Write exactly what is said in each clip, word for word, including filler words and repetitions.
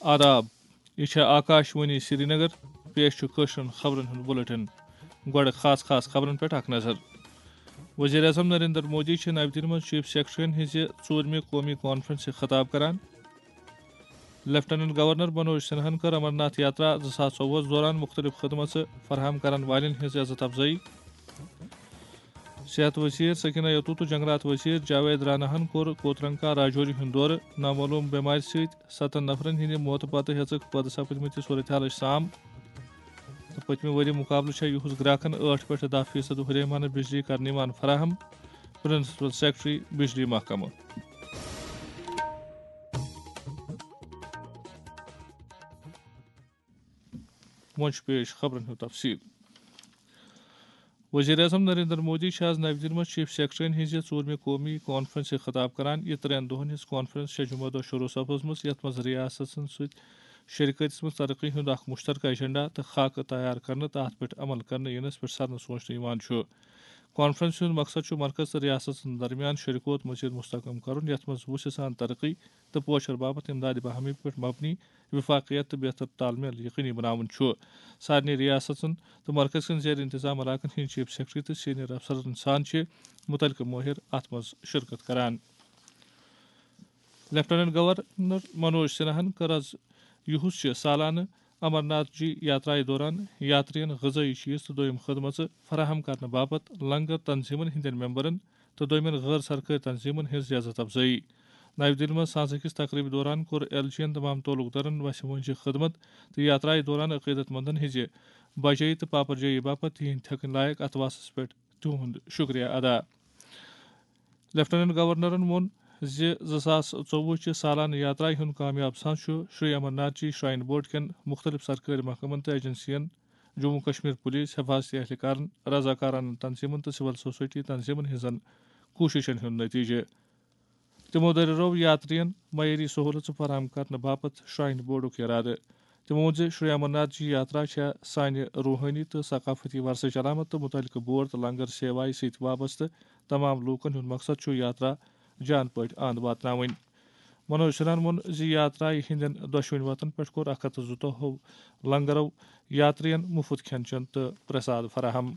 آداب، یہِ چھےٚ آکاش وانی سرینگر۔ پیش چھُ کٲشرٮ۪ن خبرن ہُنٛد بُلٹن۔ گۄڈٕ خاص خاص خبرن پٮ۪ٹھ اکھ نظر۔ وزیر اعظم نریندر مودی چھِ نَوِ دِلہِ منٛز چیف سیکرٹریَن ہٕنٛزِ ژوٗرمہِ قومی کانفرنسہِ خطاب کران۔ لیفٹیننٹ گورنر منوج سنہاہن کٔر امرناتھ یاترا زٕ ساس ژوٚوُہس دوران مُختٔلِف خدمژٕ فراہم کرن والٮ۪ن ہٕنٛز عزت افزٲیی۔ صحت وزیر سکینہ یتو تہٕ جنگلات وزیر جاوید راناہن کوٚر کوترنکا راجوری ہُنٛد دورٕ۔ نامعلوم بٮ۪مارِ سۭتۍ ستن نفرن ہٕنٛدِ موتہٕ پتہٕ ہیٚژٕکھ پٲدٕ سپدمٕتہِ صورتحالٕچ سام۔ تہٕ پٔتمہِ ؤری مُقابلہٕ چھےٚ یُہُز گراکن ٲٹھ پٮ۪ٹھ دَہ فیصد ہُریمانہٕ بجلی کرنہٕ یِوان فراہم۔ پرنسپل سیکرٹری بجلی محکمہٕ۔ وۄنۍ چھُ پیش خبرن ہُنٛد تفصیل۔ وزیر اعظم نریندر مودی چھِ آز نَوِ دِلہِ منٛز چیف سیکرٹریَن ہٕنٛزِ ژوٗرمہِ قومی کانفرنسہِ خطاب کران۔ یہِ ترٛٮ۪ن دۄہَن ہٕنٛز کانفرنس چھےٚ جمعہ دۄہ شروع سپٕزمٕژ، یَتھ منٛز ریاستَن سۭتۍ شراکتس منٛز ترقی ہُنٛد اکھ مشترکہ ایجنڈا تہٕ خاکہٕ تیار کرنہٕ تہٕ اَتھ پٮ۪ٹھ عمل کرنہٕ یِنَس پٮ۪ٹھ سرنہٕ سوچنہٕ یِوان چھُ۔ کانفرنسہِ ہُنٛد مقصد چھُ مرکز تہٕ ریاستَن درمیان شراکت مزید مستحکم کرُن، یَتھ منٛز وُژھِ سان ترقی تہٕ پوچھر باپتھ امدادِ باہمی پٮ۪ٹھ مبنی وفاقیت تہٕ بہتر تال میل یقینی بناوُن چھُ۔ سارنٕے ریاستن تہٕ مرکز کٮ۪ن زیر انتظام علاقن ہٕنٛدۍ چیف سیکرٹری تہٕ سینئر افسرن سان چھِ متعلقہٕ مٲہر اتھ منٛز شرکت کران۔ لیفٹیننٹ گورنر منوج سنہاہن کٔر از یُہُس چہِ سالانہٕ امرناتھ جی یاترایہِ دوران یاترین غذٲیی چیز تہٕ دوٚیم خدمژٕ فراہم کرنہٕ باپتھ لنگر تنظیمن ہٕنٛدٮ۪ن ممبرن تہٕ دوٚیمٮ۪ن غٲر سرکٲرۍ تنظیمن ہٕنٛز عزت افزٲیی۔ نَوِ دِلہِ منٛز سانسہٕ کِس تقریبہِ دوران کوٚر ایل جی ین تمام تعلق دارن وسہِ وٲنٛجہِ خدمت تہٕ یاترایہِ دوران عقیدت مندن ہٕنٛزِ بجٲیی تہٕ پاپر جٲیی باپتھ تِہنٛدۍ تھٮ۪کٕنۍ لایق اتھواسس پٮ۪ٹھ تِہُنٛد شُکریہ ادا۔ لیفٹیننٹ گورنرن ووٚن زِ زٕ ساس ژوٚوُہ چہِ سالانہٕ یاترایہِ ہُنٛد کامیاب ساز چھُ شری امرناتھ جی شراین بورڈ کٮ۪ن مُختٔلِف سرکٲرۍ محکمن تہٕ ایجنسین، جموں کشمیر پولیس، حفاظتی اہلکارن، رضاکارانہٕ تنظیمن تہٕ سول سوسائٹی تنظیمن ہٕنٛزن کوٗششن ہُنٛد نتیجہٕ۔ تِمو دٔریاو یاترین معیٲری سہولژٕ فراہم کرنہٕ باپتھ شراین بورڈُک ارادٕ۔ تِمو ووٚن زِ شری امرناتھ جی یاترا چھےٚ سانہِ روحٲنی تہٕ ثقافتی ورثٕچ علامت تہٕ مُتعلقہٕ بورڈ تہٕ لنگر سیوایہِ سۭتۍ وابستہٕ تمام لوٗکن ہُنٛد مقصد چھُ یاترا جان پٲٹھۍ اَنٛد واتناوٕنۍ۔ منوج سنہن ووٚن زِ یاترایہِ ہٕنٛدٮ۪ن دۄشوٕنۍ وتن پٮ۪ٹھ کوٚر اکھ ہتھ تہٕ زٕتووُہ لنگرو یاترین مُفت کھٮ۪ن چٮ۪ن تہٕ پرساد فراہم۔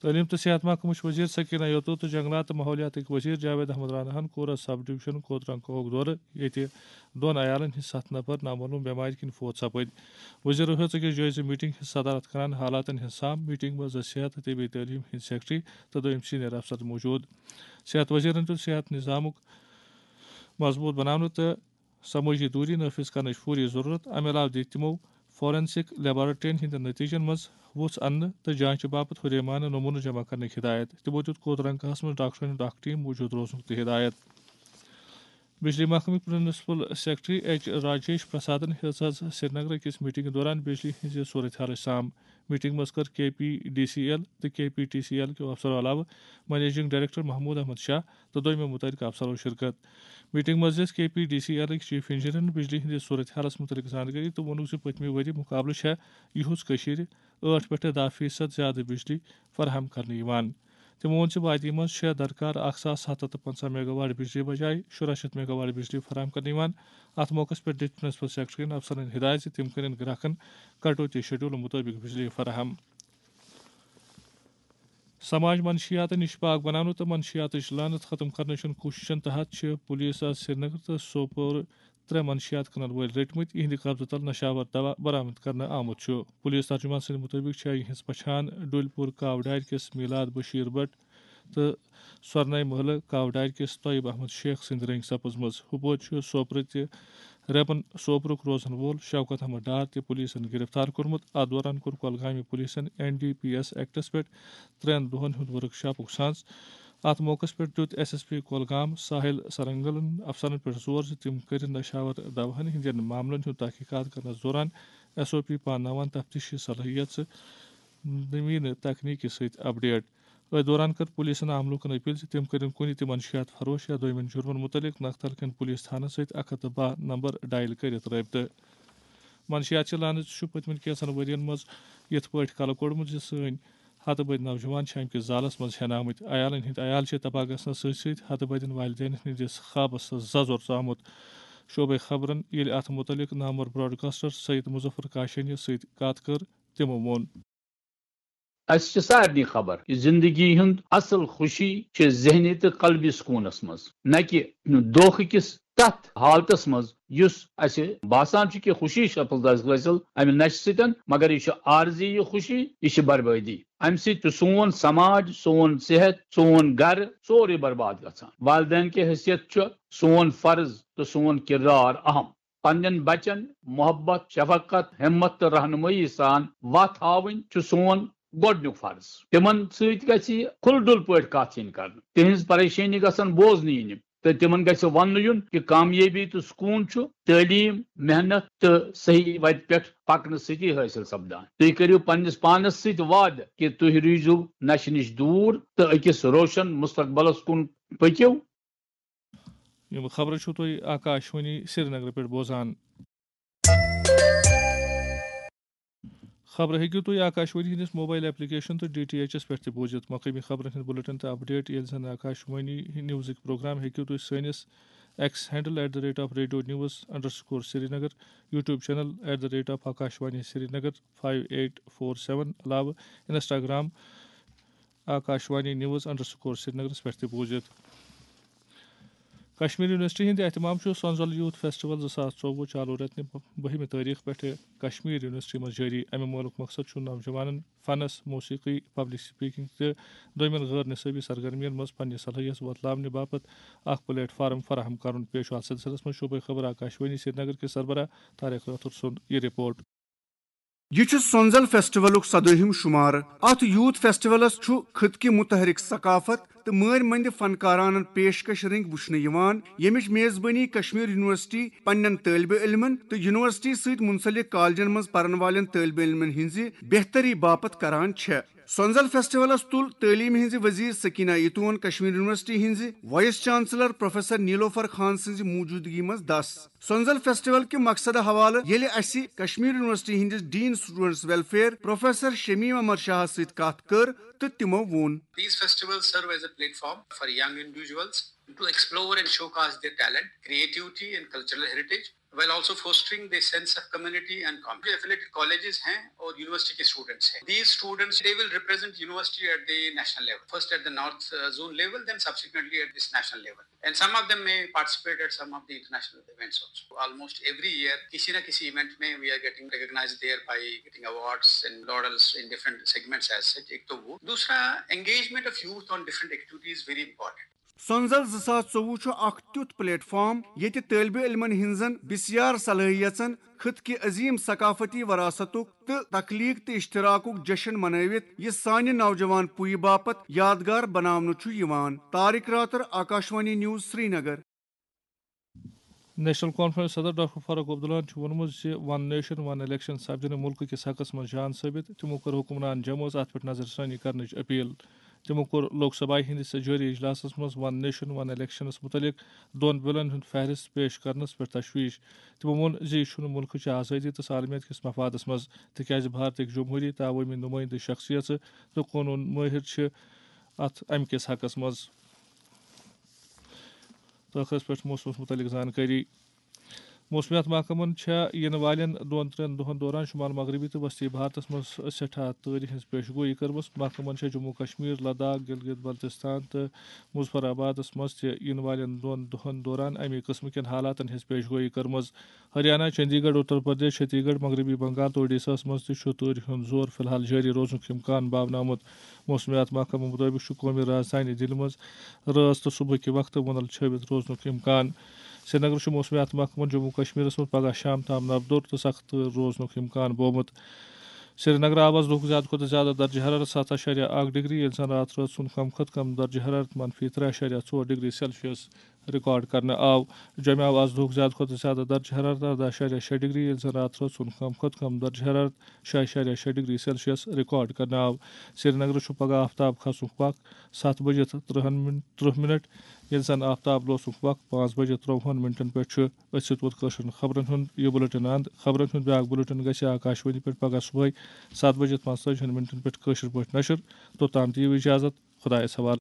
تعلیم تہٕ صحت محکمٕچ وزیر سکینہ یتو تہٕ جنگلات تہٕ ماحولیاتٕکۍ وزیر جاوید احمد راناہن کوٚر از سب ڈویژن کوترنگ کوہُک دورٕ، ییٚتہِ دۄن عیالن ہٕنٛدۍ ستھ نفر نامعلوم بٮ۪مارِ کِنۍ فوت سپٕدۍ۔ وزیرو ہیٚژ أکِس جٲیزٕ میٹنگ ہٕنٛز صدارت کران حالاتن ہٕنٛز سام۔ میٹنگ منٛز ٲسۍ صحت تہٕ طبی تعلیٖم ہٕنٛدۍ سیکرٹری تہٕ دوٚیِم سینئر افسر موجود۔ صحت وزیرن دیُت صحت نظامُک مضبوط بناونہٕ تہٕ سمٲجی دوٗری نافذ کرنٕچ فوری ضروٗرت۔ امہِ علاوٕ دِتۍ تِمو فورنسک لیبارٹرین ہٕنٛدٮ۪ن نتیجن منٛز وُژھ اننہٕ تہٕ جانچہٕ باپتھ ہُریمانہٕ نمونہٕ جمع کرنٕچ ہدایت۔ تِمو دیُت کوترنگاہس منٛز ڈاکٹرن ہُنٛد اکھ ٹیم موجود روزنُک تہِ ہدایت۔ بجلی محکمٕکۍ پرنسپل سیکرٹری ایچ راجیش پرسادن ہیٚژ از سرینگر أکِس میٹنگہِ دوران بجلی ہٕنٛزِ صورتحالٕچ سام۔ میٹنگ منٛز کٔر K P D C L تہٕ K P T C L کیو افسرو علاوٕ منیجنگ ڈائریکٹر محمود احمد شاہ تہٕ دوٚیمٮ۪و مُتعلقہٕ افسرو شرکت۔ میٹنگ منٛز دِژ کے پی ڈی سی ایلٕکۍ چیف انجینئرن بجلی ہٕنٛدِ صورتحالس مُتعلق زانکٲری تہٕ ووٚنُکھ زِ پٔتمہِ ؤری مُقابلہٕ چھےٚ یِہُس کٔشیٖرِ ٲٹھ پٮ۪ٹھ دَہ فیصد زیادٕ بجلی فراہم کرنہٕ یِوان۔ تِمو ووٚن زِ وادی منٛز چھےٚ درکار اکھ ساس ستھ ہتھ تہٕ پنٛژاہ میگا واٹ بجلی بجایہِ شُراہ شیٚتھ میگا واٹ بجلی فراہم کرنہٕ یِوان۔ اتھ موقعس پٮ۪ٹھ دِتۍ پرنسپل سیکرٹریَن افسرن ہدایت زِ تِم کرن گراکن کٹوتی شیڈول مُطٲبِق بجلی فراہم۔ سماج منشیاتن نِش پاک بناونہٕ تہٕ منشیاتٕچ لعنت ختم کرنٕچن کوٗششن تحت چھِ پولیس آز سرینگر تہٕ سوپور ترٛےٚ منشیات کٕنن وٲلۍ رٔٹمٕتۍ۔ یِہنٛدِ قبضہٕ تل نشاور دوا برآمد کرنہٕ آمُت چھُ۔ پولیس ترجمان سٕنٛدِ مُطٲبِق چھےٚ یِہنٛز پہچان ڈُلۍ پوٗر کاو ڈارِ کِس میلاد بشیر بٹ تہٕ سۄرنَے محلہٕ کاو ڈارِ کِس طیب احمد شیخ سٕنٛدِ رٔنٛگۍ سپٕزمٕژ۔ ہُپٲرۍ چھُ سوپرٕ تہِ ریپن سوپرُک روزن وول شوکت احمد ڈار تہِ پولیسن گرفتار کوٚرمُت۔ اتھ دوران کوٚر کۄلگامہِ پولیسن این ڈی پی ایس ایکٹس پٮ۪ٹھ ترٛٮ۪ن دۄہن ہُنٛد ورک شاپُک سانز۔ اتھ موقعس پٮ۪ٹھ دیُت ایس ایس پی کۄلگام ساحل سرنگلن افسرن پٮ۪ٹھ زور زِ تِم کٔرِن نشاور دواہن ہٕنٛدٮ۪ن معاملن ہُنٛد تحقیقات کرنس دوران ایس او پی پانناوان تفتیشی صلٲحیت تہٕ نویٖنہٕ تکنیٖکی سۭتۍ اپڈیٹ۔ أتھۍ دوران کٔر پولیسن عام لوٗکن اپیل زِ تِم کٔرِن کُنہِ تہِ منشیات فروش یا دوٚیمٮ۪ن جُرمن مُتعلق نکھتل کٮ۪ن پولیس تھانن سۭتۍ اکھ ہتھ تہٕ باہ نمبر ڈائل کٔرِتھ رٲبطہٕ۔ منشیات چہِ لعنت چھُ پٔتمٮ۪ن کینٛژن ؤرین منٛز یِتھ پٲٹھۍ کلہٕ کوٚڑمُت زِ سٲنۍ ہتہٕ بٔدۍ نوجوان چھِ امہِ کِس زالس منٛز ہٮ۪نہٕ آمٕتۍ۔ عیالن ہٕنٛدۍ عیال چھِ تباہ گژھنس سۭتۍ سۭتۍ ہتہٕ بٔدٮ۪ن والدینن ہٕنٛدِس خوابس ززُر ژامُت۔ شعبے خبرن ییٚلہِ اتھ مُتعلق نامور براڈکاسٹر سید مظفر کاشانی سۭتۍ کتھ کٔر، تِمو ووٚن۔ اسہِ چھِ سارنٕے خبر کہِ زندگی ہُنٛد اصل خوشی چھِ ذہنی تہٕ قلبی سکوٗنس منٛز، نہ کہِ دھوکہٕ کِس تتھ حالتس منٛز یُس اسہِ باسان چھُ کہِ خوشی چھِ حٲصِل امہِ نشہِ سۭتۍ، مگر یہِ چھُ عارضی یہِ خوشی، یہِ چھِ بربٲدی۔ امہِ سۭتۍ چھُ سون سماج، سون صحت، سون گرٕ، سورُے برباد گژھان۔ والدین کہِ حیثیت چھُ سون فرض تہٕ سون کردار اہم۔ پننٮ۪ن بچن محبت، شفقت، ہمت تہٕ رہنمٲیی سان وتھ ہاوٕنۍ چھُ سون گۄڈنیُک فرض۔ تِمن سۭتۍ گژھِ کھُلہٕ ڈُلہٕ پٲٹھۍ کتھ یِنۍ کرنہٕ، تِہنٛز پریشٲنی گژھن بوزنہٕ یِنہِ تہٕ تِمن گژھِ وننہٕ یُن کہِ کامیٲبی تہٕ سکوٗن چھُ تعلیٖم، محنت تہٕ صحیح وتہِ پٮ۪ٹھ پکنہٕ سۭتی حٲصِل سپدان۔ تُہۍ کٔرِو پننِس پانس سۭتۍ وعدٕ کہِ تُہۍ روٗزِو نشہِ نِش دوٗر تہٕ أکِس روشن مستقبلس کُن پٔکِو۔ یِم خبرٕ چھِو تُہۍ آکاشوانی سرینگرٕ پٮ۪ٹھ بوزان۔ خبرٕ ہیٚکِو تُہۍ آکاشوانی ہٕنٛدِس موبایل ایپلیکیشن تہٕ ڈی ٹی ایچ ایس پٮ۪ٹھ تہِ بوٗزِتھ۔ مقٲمی خبرن ہٕنٛدۍ بُلٹن تہٕ اپڈیٹ، ییٚلہِ زن آکاشوانی نیوزٕکۍ پروگرام ہیٚکِو تُہۍ سٲنِس X handle at the rate of radio news underscore Srinagar, YouTube channel at the rate of Akashvani Srinagar five eight four seven علاوٕ Instagram Akashvani news underscore سرینگرس پٮ۪ٹھ تہِ بوٗزِتھ۔ کشمیر یونیورسٹی ہٕنٛدِ اہتمام چھُ سۄنزل یوتھ فیسٹیول زٕ ساس ژوٚوُہ چالو رٮ۪تنہِ بٔہمہِ تٲریخ پٮ۪ٹھٕ کشمیر یونیورسٹی منٛز جٲری۔ اَمیُک مولُک مقصد چھُ نوجوانن فنس، موسیقی، پبلک سپیکنگ تہٕ دوٚیمٮ۪ن غٲر نصٲبی سرگرمین منٛز پننہِ صلٲحیت وۄتلاونہٕ باپتھ اکھ پلیٹ فارم فراہم کرُن۔ پیش چھُ اتھ سلسلس منٛز شعبے خبر آکاشوانی سرینگر کِس سربراہ طارق رٲتھر سُنٛد یہِ رپورٹ۔ یہِ چھُ سۄنزل فیسٹیولُک سدٲہِم شُمارٕ۔ اتھ یوتھ فیسٹیولس چھُ خطہٕ کہِ متحرک ثقافت تہٕ مٲرۍ مندِ فنکارانن پیشکش رٔنگۍ وُچھنہٕ یِوان، ییٚمِچ میزبٲنی کشمیر یونیورسٹی پننٮ۪ن طٲلبہِ علمن تہٕ یونیورسٹی سۭتۍ منسلک کالجن منٛز پرن والٮ۪ن طٲلبہِ علمن ہٕنٛزِ بہتری باپتھ کران چھےٚ۔ سۄنزل فیسٹیولس تُل تعلیمہِ ہٕنٛزِ وزیر سکینہ ایتون، کشمیر یونیورسٹی ہٕنٛزِ وائس چانسلر پروفیسر نیلوفر خان سٕنٛزِ موجودگی منٛز دس۔ سۄنزل فیسٹیول کہِ مقصدٕ حوالہٕ ییٚلہِ اسہِ کشمیر یونیورسٹی ہٕنٛدِس dean students welfare professor Shamim Ahmad شاہس سۭتۍ کتھ کٔر تہٕ تِمو ووٚن۔ These festivals serve as a platform for young individuals to explore and showcase their talent, creativity and cultural heritage, while also fostering the sense of community and community. Affiliated colleges ہیں اور university کے students ہیں۔ These students, they will represent university at the national level. First at the north uh, zone level, then subsequently at this national level. And some of them may participate at some of the international events also. Almost every year, کسی نہ کسی event میں we are getting recognized there by getting awards and laurels in different segments as such. ایک تو وہ۔ دوسرا، engagement of youth on different activities very important. سۄنزل زٕ ساس ژوٚوُہ چھُ اکھ تیُتھ پلیٹ فارم ییٚتہِ طٲلبہِ علمن ہٕنٛزن بسیار صلٲحیژن، خطہٕ کہِ عظیم ثقافتی وراثتُک تہٕ تخلیق تہٕ اشتراکُک جشن منٲوِتھ یہِ سانہِ نوجوان پُیہِ باپتھ یادگار بناونہٕ چھُ یِوان۔ Tariq Rather, Akashvani news, Srinagar. National conference صدر ڈاکٹر فاروق عبداللہن چھُ ووٚنمُت زِ ون نیشن ون الیکشن سپدِ نہٕ مُلکہٕ کِس حقس منٛز جان ثٲبت۔ تِمو کٔر حکمران جمٲژ اتھ پٮ۪ٹھ نظر ثٲنی کرنٕچ اپیل۔ تِمو کوٚر لوک سبھایہ ہٕنٛدِس جٲری اجلاسس منٛز ون نیشن ون الیکشنس مُتعلق دۄن بلن ہُنٛد فہرست پیش کرنس پٮ۪ٹھ تشویش۔ تِمو ووٚن زِ یہِ چھُنہٕ مُلکٕچ آزٲدی تہٕ سالمیت کِس مفادس منٛز، تِکیازِ بھارتٕکۍ جمہوٗری تہٕ عوٲمی نُمٲیندٕ شخصیژٕ تہٕ قونوٗن مٲہِر چھِ اتھ امہِ کِس حقس منٛز۔ ٲخرس پٮ۪ٹھ موسمس مُتعلق زانکٲری۔ موسمیات محکمن چھےٚ یِنہٕ والٮ۪ن دۄن ترٛٮ۪ن دۄہن دوران شمال مغربی تہٕ وسطی بھارتس منٛز سٮ۪ٹھاہ تۭرِ ہٕنٛز پیش گویی کٔرمٕژ۔ محکمن چھےٚ جموں کشمیر، لداخ، گلگت بلتستان تہٕ مظفر آبادس منٛز تہِ یِنہٕ والٮ۪ن دۄن دۄہن دوران اَمے قٕسمہٕ کٮ۪ن حالاتن ہٕنٛز پیش گویی کٔرمٕژ۔ ہریانہ، چندی گڑھ، اتر پردیش، چھتیس گڑھ، مغربی بنگال تہٕ اوڈیشاہس منٛز تہِ چھُ تۭرِ ہُنٛد زور فی الحال جٲری روزنُک امکان باونہٕ آمُت۔ موسمیات محکمہٕ مُطٲبِق چھُ قومی رازدھانی دِلہِ منٛز رٲژ تہٕ صبحٕکہِ وقتہٕ وُنل چھٲوِتھ روزنُک امکان۔ سرینگرٕ چھُ موسمیات محکمَن جموں کشمیرَس منٛز پگہہ شام تام نَبدوٚر تہٕ سخت تۭر روزنُک امکان بوومُت۔ سرینگرٕ آو آز دۄہُک زیادٕ کھۄتہٕ زیادٕ درجہ حرارت ستھ اَشاریہ اَکھ ڈگری، ییٚلہِ زَن راتھ رٲژ ہُنٛد کم کھۄتہٕ کم درجہ حرارت منفی ترٛےٚ اَشاریہ ژور ڈگری سیلسیس رِکارڈ کرنہٕ آو۔ جوٚمہِ آو آز دۄہُک زیادٕ کھۄتہٕ زیادٕ درجہ حرارت اَرداہ اَشاریہ شےٚ ڈگری، ییٚلہِ زَن راتھ رٲژ ہُنٛد کم کھۄتہٕ کم درجہ حرارت شےٚ اَشاریہ شےٚ ڈگری سیلسیس رِکارڈ کرنہٕ آو۔ سرینگرٕ چھُ پگہہ آفتاب کھسنُک وق ستھ بجے تہٕ ترٕٛہن مِن-، ترٕٛہ منٹ، ییٚلہِ زن آفتاب لوسنُک وق پانٛژھ بجے ترٛووُہن منٹن پٮ۪ٹھ چھُ۔ أتھۍ سۭتۍ ووت کٲشرٮ۪ن خبرن ہُنٛد یہِ بُلٹن اند۔ خبرن ہُنٛد بیٛاکھ بُلٹن گژھِ آکاشوانی پٮ۪ٹھ پگاہ صبحٲے ستھ بجے پانٛژتٲجِہن منٹن پٮ۪ٹھ کٲشِر پٲٹھۍ نشر۔ توٚتام دِیِو اجازت، خۄدایس حوالہٕ۔